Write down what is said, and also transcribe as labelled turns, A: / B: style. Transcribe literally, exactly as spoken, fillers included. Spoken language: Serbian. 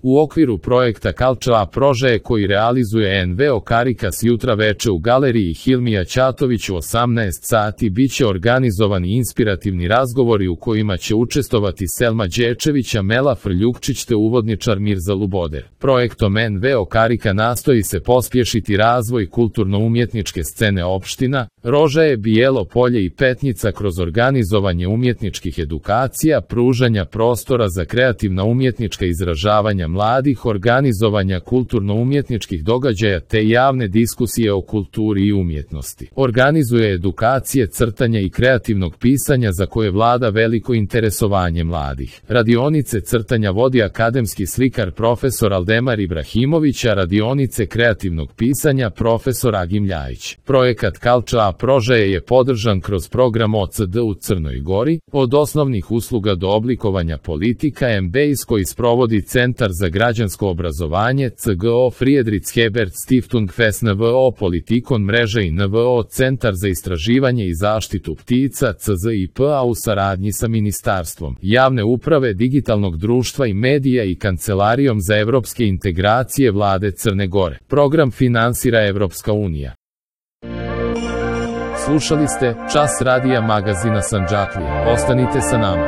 A: U okviru projekta Culture Prožaje koji realizuje en ve o Karikas jutra veče u galeriji Hilmija Ćatović u osamnaest sati biće organizovani inspirativni razgovori u kojima će učestvovati Selma Đečević, Amela Frljukčić te uvodničar Mirza Luboder. Projektom en ve o Karika nastoji se pospješiti razvoj kulturno-umjetničke scene opština Rožaje, Bijelo Polje i Petnica kroz organizovanje umjetničkih edukacija, pružanja prostora za kreativna umjetnička izražavanja mladih, organizovanja kulturno-umjetničkih događaja te javne diskusije o kulturi i umjetnosti. Organizuje edukacije crtanja i kreativnog pisanja za koje vlada veliko interesovanje mladih. Radionice crtanja vodi akademski slikar profesor Aldemar Ibrahimović, a radionice kreativnog pisanja profesor Agim Ljajić. Projekat Culture Prožaje je podržan kroz program o ce de u Crnoj Gori, od osnovnih usluga do oblikovanja politika em be i s koji sprovodi Centar za građansko obrazovanje ce ge o Friedrich Hebert Stiftung fes en ve o Politikon mreža i en ve o Centar za istraživanje i zaštitu ptica ce ze i pe, a u saradnji sa Ministarstvom javne uprave, digitalnog društva i medija i Kancelarijom za evropske integracije vlade Crne Gore. Program finansira Evropska unija. Slušali ste Čas radija magazina Sandžaklija. Ostanite sa nama.